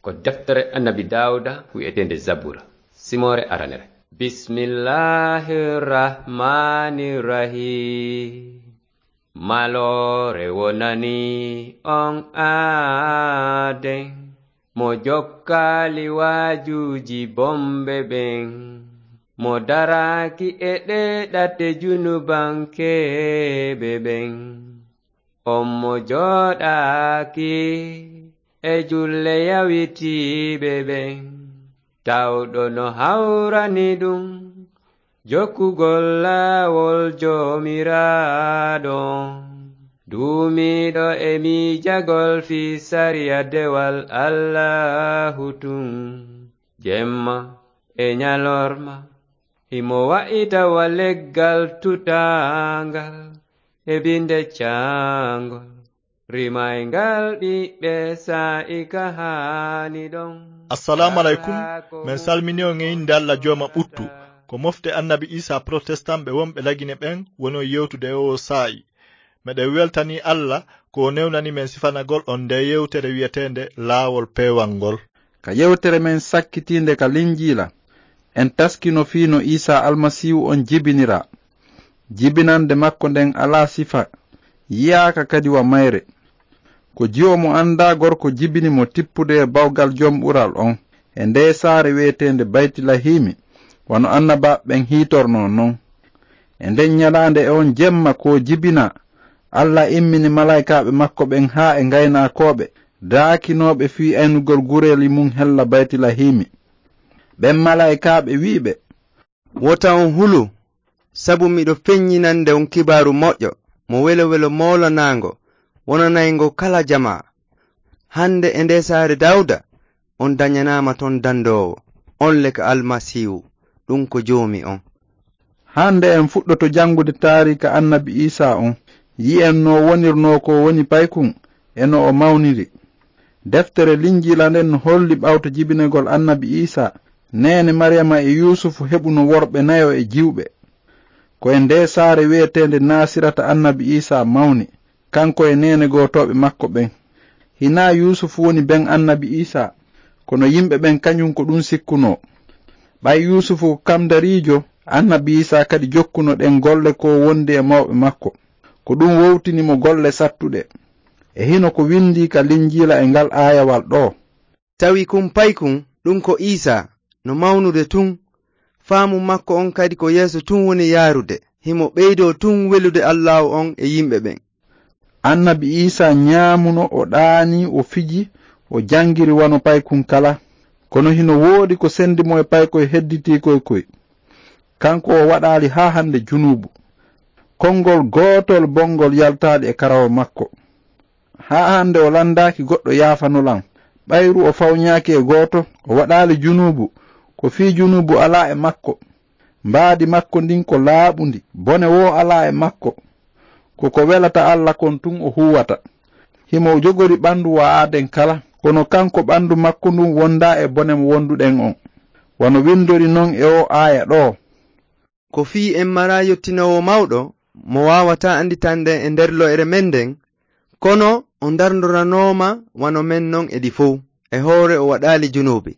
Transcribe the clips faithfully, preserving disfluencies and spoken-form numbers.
Ko deftere Annabi Daawuda wi'eteende Zabura, simoore aranere. Bismillahir Rahmanir Rahim. Maloore wonani on aaden, mo jokkaali waajuuji bomɓe ɓen, mo daraaki e ɗee ɗate junubankeeɓe ɓen. On mo jooɗaaki e julle yawitiiɓe ɓen, tawɗo no hawrani ɗum jokkugol laawol Joomiraaɗo, duumiiɗo e miijagol fii sariya dewal Allaahu tun, jemma e ñalorma. Himo wa'ita wa leggal tutaangal e binde caangol, rimayngal ɓiɓɓe saa'i ka haani ɗon. Assalaamu aleykum. Men salmini on e innde Alla Jooma ɓuttu. Ko mofte Annabi Iisaa protestant ɓe wonɓe Lagine ɓen woni on yewtude e oo saa'i. Meɗen weltanii Alla ko o newnani men sifanagol on ndee yewtere wi'eteende Laawol Peewal ngol. Ka yewtere men sakkitiinde ka Linjiila, en taskino fii no Iisaa Almasiihu on jibiniraa. Jibinannde makko nden alaa sifa, yi'aaka kadi wa mayre. Ko jiwo mo anndaa gorko jibini mo tippude e bawgal Jom Ɓural on e ndee saare wi'eteende Baytilahiimi, wano annabaaɓe ɓen hiitornoo non. E nden ñalaande e on jemma ko o jibinaa, Alla immini malaykaaɓe makko ɓen haa e ngaynaakooɓe daakinooɓe fii aynugol gureeli mun hella Baytilahiimi. Ɓen malaykaaɓe wi'i ɓe, "Wota on hulu, sabu miɗo feññinande on kibaaru moƴƴo, mo welo-welo moolanaango, wonanayngo kala jamaa. Hande e ndee saare Daawda, on dañanaama ton dandoowo, on le ka Almasiihu, ɗum ko Joomi on." Hande en fuɗɗoto janngude taariika Annabi Iisaa on, yi'en no wonirnoo ko woni paykun e no o mawniri. Deftere Linjiila nden no holli ɓawto jibinegol Annabi Iisaa, neene Mariyama e Yuusufu heɓuno worɓe nayo e jiwɓe. Ko e ndee saare wi'eteende Naasirata Annabi Iisaa mawni, kanko e neene gootooɓe makko ɓen. Hinaa Yuusufu woni ben Annabi Iisaa, kono yimɓe ɓen kañun ko ɗum sikkunoo. Ɓay Yuusufu ko kamdariijo, Annabi Iisaa kadi jokkuno ɗen golle ko wondi e mawɓe makko. Ko ɗum wowtini mo golle sattuɗe. E hino ko windii ka Linjiila e ngal aayawal ɗoo. Tawi kun paykun, ɗum ko Iisaa, no mawnude tun. Faamu makko on kadi ko yeeso tun woni yaarude. Himo ɓeydoo tun welude Allaahu on e yimɓe ɓen. Annabi Iisaa ñaamuno, o ɗaanii, o fiji, o janngiri wano paykun kala. Kono hino woodi ko sendi mo e paykoy hedditiikoy koy. Kanko o waɗaali haa hande junuubu. Konngol gootol bongol yaltaali e karawa makko. Haa hande o landaaki goɗɗo yaafano lan. Ɓayru o fawñaaki e gooto, o waɗaali junuubu, ko fii junuubu alaa e makko. Mbaadi makko ndin ko laaɓundi, bone woo alaa e makko. Ko ko welata Alla kon tun o huuwata. Himo jogori ɓandu wa aaden kala, kono kanko ɓandu makko ndun wondaa e bone mo wonduɗen on. Wano windori non e oo aaya ɗoo. Ko fii en maraa yottinoowo mawɗo, mo waawataa anditande e nder lo'ere men nden, kono o ndarndoranooma wano men non e ɗi fow, e hoore o waɗaali junuubi.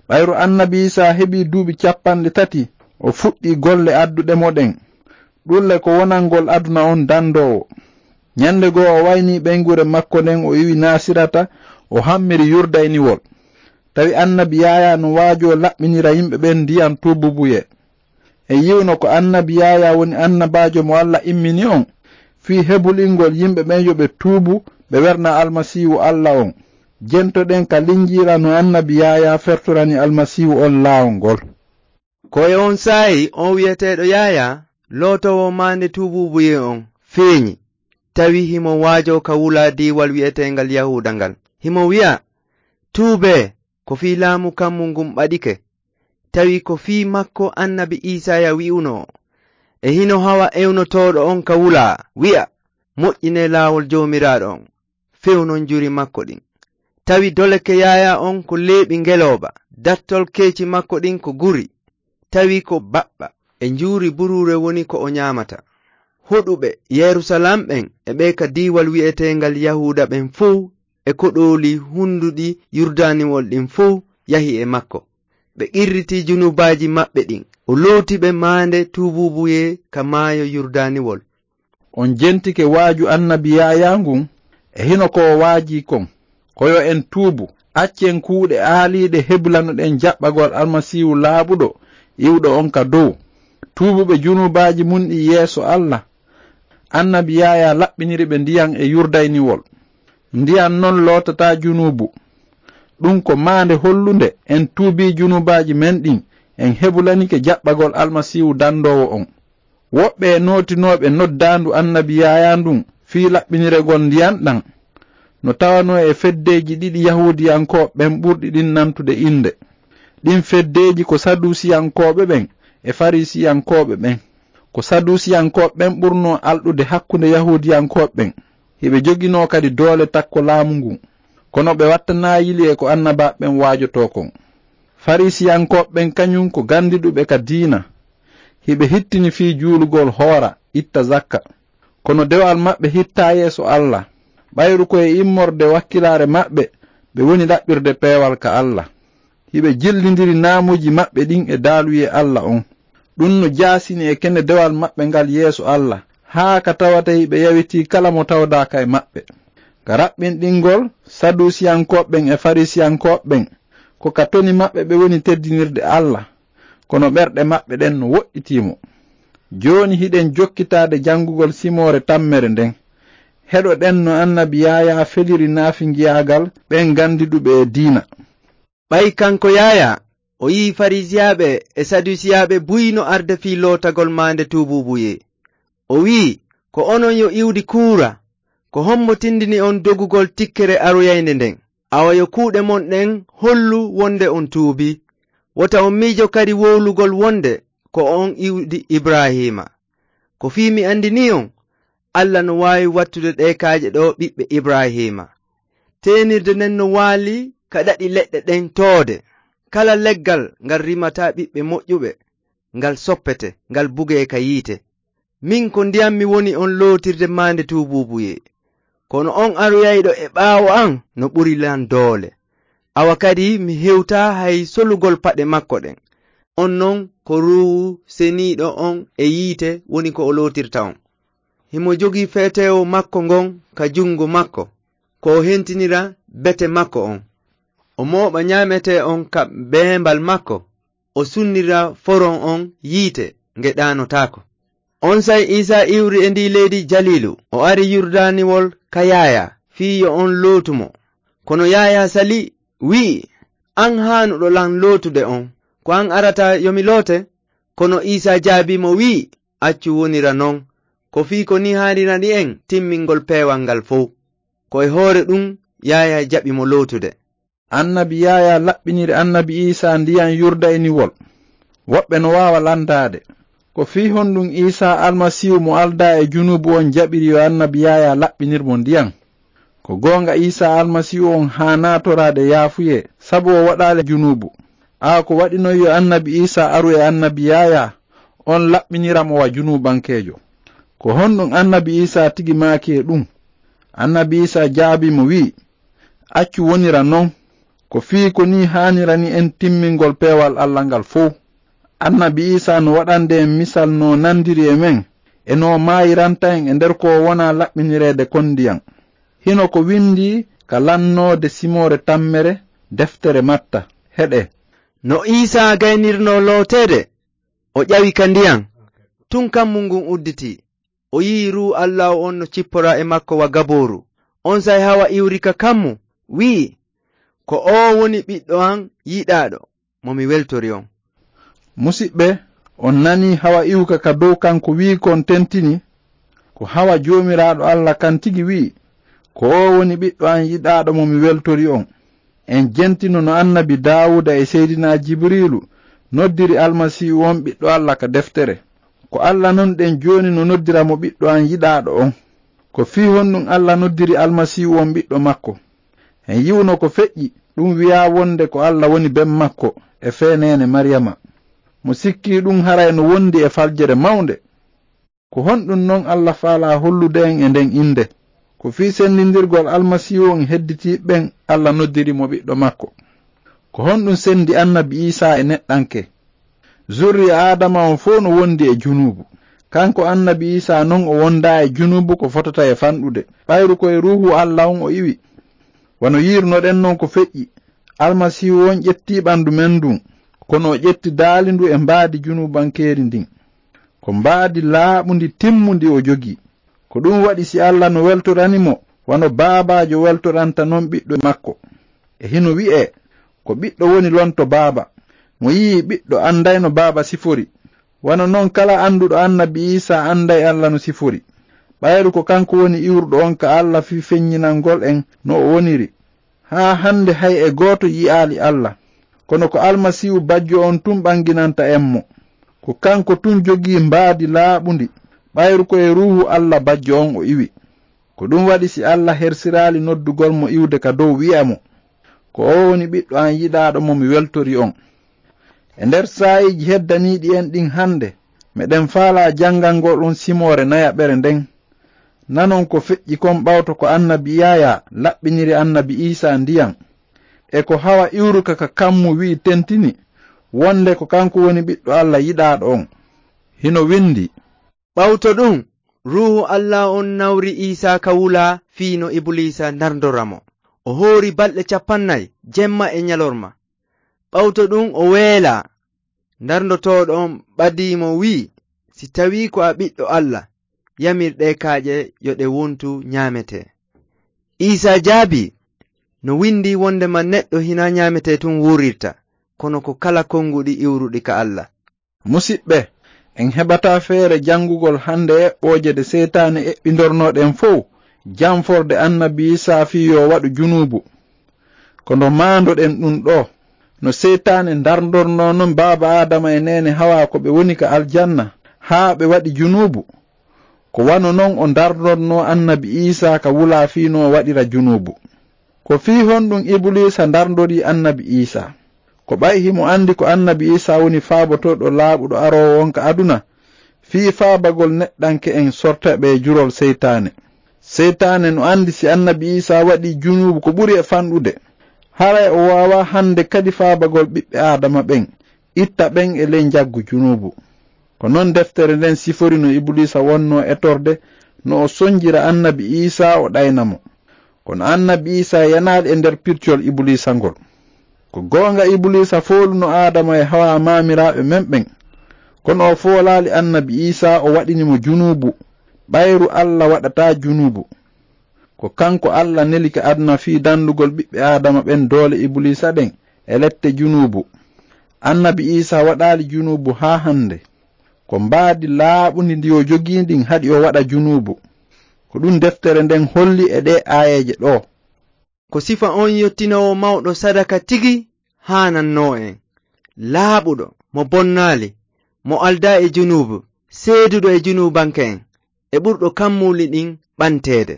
Ɓayru Annabi Iisaa heɓii duuɓi cappanɗe tati, o fuɗɗii golle adduɗe mo ɗen. Ɗulle ko wonangol aduna on dandoowo. Ñande goo o waynii ɓeynguure makko nden, o iwi Naasirata, o hammiri Yurdaynewol. Tawi Annabi Yaayaa no waajoo laɓɓinira yimɓe ɓen ndiyan tuububuyee. En yi'uno ko Annabi Yaayaa woni annabaajo mo Alla immini on, fii hebulingol yimɓe ɓen yo ɓe tuubu, ɓe werna Almasiihu Alla on. Jentoɗen ka Linjiila no Annabi Yaayaa fertorani Almasiihu on laawol ngol. Ko e on saa'i on wi'eteeɗo Yaayaa, lootoowo maande tuubuubuyee on, feeñi. Tawi himo waajoo ka wulaa diiwal wi'eteengal Yahuuda ngal. Himo wi'a, "Tuubee, ko fii laamu kammu ngun ɓaɗike." Tawi ko fii makko Annabi Iisaaya wi'unoo, "E hino hawa ewnotooɗo on ka wulaa, wi'a, 'Moƴƴinee laawol Joomiraaɗo on, fewnon juri makko ɗin.'" Tawi doleke Yaayaa on ko leeɓi ngelooba, dattol keeci makko ɗin ko guri. Tawi ko baɓɓa e njuuri buruure woni ko o ñaamata. Hoɗuɓe Yerusalaam ɓen e ɓee ka diiwal wi'eteengal Yahuuda ɓen fow e koɗooli hunnduɗi Yurdaaniwol ɗin fow yahi e makko. Ɓe qirritii junubaaji maɓɓe ɗin. O looti ɓe maande tuubuubuyee ka maayo Yurdaaniwol. On jentike waaju annabi Yaayaa ngun e hino ko o waajii kon. Ko yo en tuubu, accen kuuɗe aaliiɗe heblanuɗen jaɓɓagol Almasiihu laaɓuɗo iwɗo on ka dow. Tuubuɓe junubaaji mun ɗin yeeso Alla, annabi Yaayaa laɓɓiniri ɓe ndiyan e Yurdaaniwol. Ndiyan non lootataa junuubu. Ɗun ko maande hollunde en tuubii junubaaji men ɗin, en hebulanike jaɓɓagol Almasiihu dandoowo on. Woɓɓe e nootinooɓe noddaandu annabi Yaayaa ndun fii laɓɓiniregol ndiyan ɗan no tawanoo e feddeeji ɗiɗi Yahuudiyankooɓe ɓen ɓurɗi ɗin nantude innde. Ɗin feddeeji ko Saduusiyankooɓe ɓen e Fariisiyankooɓe ɓen. Ko Saduusiyankooɓe ɓen ɓurnoo alɗude hakkunde Yahuudiyankooɓe ɓen. Hiɓe joginoo kadi doole takko laamu ngun. Kono ɓe wattanaa yili e ko annabaaɓe ɓen waajotoo kon. Fariisiyankooɓe ɓen kañun ko ganndiɗuɓe ka diina. Hiɓe hittini fii juulugol, hoora, itta zakka. Kono dewal maɓɓe hittaa yeeso Alla. Ɓayru ko e immorde wakkilaare maɓɓe ɓe woni ɗaɓɓirde peewal ka Alla. Hiɓe jillindiri naamuuji maɓɓe ɗin e daaluyee Alla on. Ɗun no jaasini e kene dewal maɓɓe ngal yeeso Alla, haa ka tawata hiɓe yawitii kala mo tawdaaka e maɓɓe. Ka raɓɓinɗingol, Saduusiyankooɓe ɓen e Fariisiyankooɓe ɓen, ko ka toni maɓɓe ɓe woni teddinirde Alla, kono ɓerɗe maɓɓe ɗen no woɗɗitii mo. Jooni hiɗen jokkitaade janngugol simoore tammere nden. Heɗoɗen no annabi Yaayaa feliri naafingiyaagal ɓen ganndiɗuɓe e diina. Ɓay kanko Yaayaa, o yi'i Fariisiyaaɓe e Saduusiyaaɓe buy no arda fii lootagol maande tuubuubuyee. O wi'i, "Ko onon yo iwdi kuura! Ko hombo tindini on dogugol tikkere aroyaynde nden? Awa yo kuuɗe mon ɗen hollu wonde on tuubii. Wota on miijo kadi wowlugol wonde ko on iwdi Ibraahiima. Ko fii mi andinii on, Alla no waawi wattude ɗee kaaƴe ɗoo ɓiɓɓe Ibraahiima. Teenirde nden no waali ka ɗaɗi leɗɗe ɗen toode. Kala leggal ngal rimataa ɓiɓɓe moƴƴuɓe, ngal soppete, ngal bugee ka yiite. Min ko ndiyan mi woni on lootirde maande tuubuubuyee. Kono on aroyayɗo e ɓaawo an no ɓuri lan doole. Awa kadi mi hewtaa hay solugol paɗe makko ɗen. On non ko Ruuhu Seniiɗo on e yiite woni ko o lootirta on. Himo jogii feteewo makko ngon ka jungo makko, ko o hentinira bete makko on. O mooɓa ñaametee on ka beembal makko, o sunnira foron on yiite nge ɗaanotaako." Onsay Iisaa iwri e ndii leydi Jaliilu, o ari Yurdaaniwol ka Yaayaa, fii yo on lootu mo. Kono Yaayaa salii, wi'i, "An haanuɗo lan lootude on, ko an arata yo mi loote?" Kono Iisaa jaabii mo, wi'i, "Accu wonira non, ko fii ko nii haanirani en timmingol peewal ngal fow." Ko e hoore ɗun Yaayaa jaɓi mo lootude. Annabi Yaayaa laɓɓiniri annabi Iisaa ndiyan Yurdaaniwol. Woɓɓe no waawa landaade, ko fii honɗun Iisaa Almasiihu mo aldaa e junuubu on jaɓiri yo annabi Yaayaa laɓɓinir mo ndiyan? Ko goonga, Iisaa Almasiihu on haanaa toraade yaafuyee, sabu o waɗaali junuubu. Aa ko waɗi non yo annabi Iisaa aru e annabi Yaayaa, on laɓɓinira mo wa junuubankeejo? Ko honɗun annabi Iisaa tigi maaki e ɗun? Annabi Iisaa jaabii mo, wi'i, "Accu wonira non, ko fii ko nii haanirani en timmingol peewal Alla ngal fow." Annabi Iisaa no waɗande en misal no nandiri e men, e no maayiranta en e nder ko wonaa laɓɓinireede kon ndiyan. Hino ko windii ka lannoode simoore tammere, deftere Matta. Heɗe. No Iisaa gaynirnoo looteede, o ƴawi ka ndiyan. Tun kammu ngun udditii. O yi'i Ruuhu Allaahu on no cipporaa e makko wa gabooru. Onsay hawa iwri ka kammu, wi'i, "Ko oo woni Ɓiɗɗo an yiɗaaɗo, mo mi weltori on." Musiɓɓe, on nanii hawa iwka ka dow kan ko wi'i kon tentini? Ko hawa Joomiraaɗo Alla kan tigi wi'i, "Ko oo woni Ɓiɗɗo an yiɗaaɗo mo mi weltori on." En jentino no annabi Daawuda e Seydinaa Jibriilu noddiri Almasiihu on Ɓiɗɗo Alla ka deftere. Ko Alla non ɗen jooni no noddira mo Ɓiɗɗo an yiɗaaɗo on. Ko fii honɗun Alla noddiri Almasiihu on Ɓiɗɗo makko? En yi'uno ko feƴƴi, ɗun wi'aa wonde ko Alla woni ben makko e fee neene Mariyama. Mo sikkii ɗun haray no wondi e faljere mawnde. Ko honɗun non Alla faalaa hollude en e nden innde? Ko fii senndindirgol Almasiihu on e hedditiiɓe ɓen Alla noddiri mo ɓiɗɗo makko. Ko honɗun senndi Annabi Iisaa e neɗɗanke? Zurriya Aadama on fow no wondi e junuubu. Kanko Annabi Iisaa non o wondaa e junuubu ko fotata e fanɗude, ɓayru ko e Ruuhu Alla on o iwi. Wano yiirunoɗen non ko feƴƴi, Almasiihu on ƴettii ɓandu men ndun, kono o ƴetti daali ndu e mbaadi junuubankeeri ndin. Ko mbaadi laaɓundi timmundi o jogii. Ko ɗun waɗi si Alla no weltorani mo, wano baabaajo weltoranta non ɓiɗɗo makko. E hino wi'ee, ko ɓiɗɗo woni lonto baaba. Mo yi'ii ɓiɗɗo anday no baaba sifori. Wano non kala annduɗo Annabi Iisaa anday Alla no sifori. Ɓayru ko kanko woni iwruɗo on ka Alla fii feññinangol en no o woniri. Haa hande hay e gooto yi'aali Alla. Kono ko Almasiihu bajjo on tun ɓanginanta en mo. Ko kanko tun jogii mbaadi laaɓundi, ɓayru ko e Ruuhu Alla bajjo on o iwi. Ko ɗun waɗi si Alla hersiraali noddugol mo iwde ka dow wi'a mo, ko oo woni ɓiɗɗo an yiɗaaɗo mo mi weltori on. E nder saa'iiji heddaniiɗi en ɗin hande, meɗen faalaa janngangol on simoore nayaɓere nden. Nanon ko feƴƴi kon ɓawto ko Annabi Yaayaa laɓɓiniri Annabi Iisaa ndiyan. E ko hawa iwruka ka kammu wi'i tentini, wonde ko kanko woni ɓiɗɗo Alla yiɗaaɗo on. Hino windi. Ɓawto ɗun, Ruuhu Alla on nawri Iisaa ka wulaa fii no Ibuliisa ndarndora mo. O hoori balɗe capannay, jemma e ɲalorma. Ɓawto ɗun o weelaa. Ndarndotooɗo on ɓadii mo wi'i, si tawii ko a ɓiɗɗo Alla, yamir ɗee kaaƴe yo ɗe wontu ɲaametee. Iisaa jaabii, no windii wondema neɗɗo hinaa ɲaametee tun wuurirta, kono ko kala konguɗi iwruɗi ka Alla. Musiɓɓe, en heɓataa feere janngugol hande eɓɓooje ɗe Seytaane eɓɓindornoo ɗen fow, janforde Annabi Iisaa fii yo waɗu junuubu. Kono maandoɗen ɗun ɗoo, no Seytaane ndarndornoo non baaba Aadama e neene Hawaa ko ɓe woni ka aljanna, haa ɓe waɗi junuubu. Ko wano non o ndarndornoo Annabi Iisaa ka wulaa fii no o waɗira junuubu. Ko fii honɗun Ibuliisa ndarndorii Annabi Iisaa? Ko ɓay himo andi ko Annabi Iisaa woni faabotooɗo laaɓuɗo aroowo on ka aduna, fii faabagol neɗɗanke en sorta ɓe e jurol Seytaane. Seytaane no andi si Annabi Iisaa waɗii junuubu ko ɓuri e fanɗude, haray o waawaa hande kadi faabagol ɓiɓɓe Aadama ɓen, itta ɓen e ley njaggu junuubu. Ko non deftere nden sifori no Ibuliisa wonnoo etorde, no o sonjira Annabi Iisaa o ɗayna mo. Kono Annabi Iisaa yanaali e nder pircol Ibuliisa ngol. Ko goonga Ibuliisa fooluno Aadama e Hawaa maamiraaɓe men ɓen. Kono o foolaali Annabi Iisaa o waɗini mo junuubu, ɓayru Alla waɗataa junuubu. Ko kanko Alla neli ka aduna fii dandugol ɓiɓɓe Aadama ɓen doole Ibuliisa ɗen e lette junuubu. Annabi Iisaa waɗaali junuubu haa hande. Ko mbaadi laaɓundi ndi o jogii ndin haɗi o waɗa junuubu. Ko ɗun deftere nden holli e ɗee aayeeje ɗoo. Ko sifa on yottinoowo mawɗo sadaka tigi haanannoo en. Laaɓuɗo, mo bonnaali, mo aldaa e junuubu, seeduɗo e junuubanke en, e ɓurɗo kammuuli ɗin ɓanteede.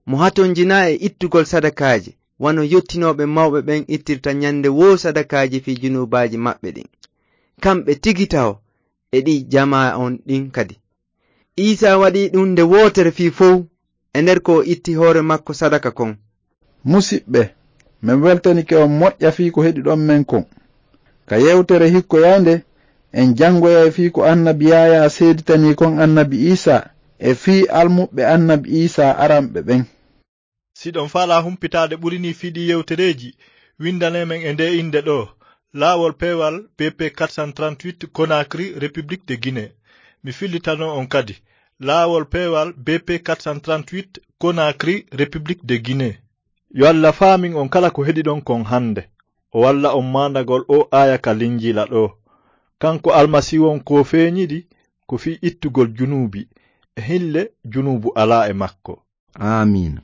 Mo hatonjinaa e ittugol sadakaaji, wano yottinooɓe mawɓe ɓen ittirta ɲande woo sadakaaji fii junuubaaji maɓɓe ɗin. Kamɓe tigi taho e ɗi jamaa on ɗin kadi. Iisaa waɗii ɗun nde wootere fii fow, e nder ko o itti hoore makko sadaka kon. Musiɓɓe, men weltanike on moƴƴa fii ko heɗiɗon men kon. Ka yewtere hikkoyaynde, en janngoyay fii ko Annabi Yaayaa seeditanii kon Annabi Iisaa e fii almuɓɓe Annabi Iisaa aranɓe ɓen. Si ɗon faalaa humpitaade ɓuri nii fii ɗii yewtereeji, winndanee men e ndee innde ɗoo, Laawol Peewal B P quatre cent trente-huit, Conakry, République de Guinée. Mi fillitanoo on kadi, Laawol Peewal B P quatre cent trente-huit, Conakry, République de Guinée. Yo Alla faamin on kala ko heɗiɗon kon hannde. O walla on maandagol oo aaya ka Linjiila ɗoo. Kanko Almasiihu on ko feeñiɗi ko fii ittugol junuubi, e hille junuubu alaa e makko. Aamiin.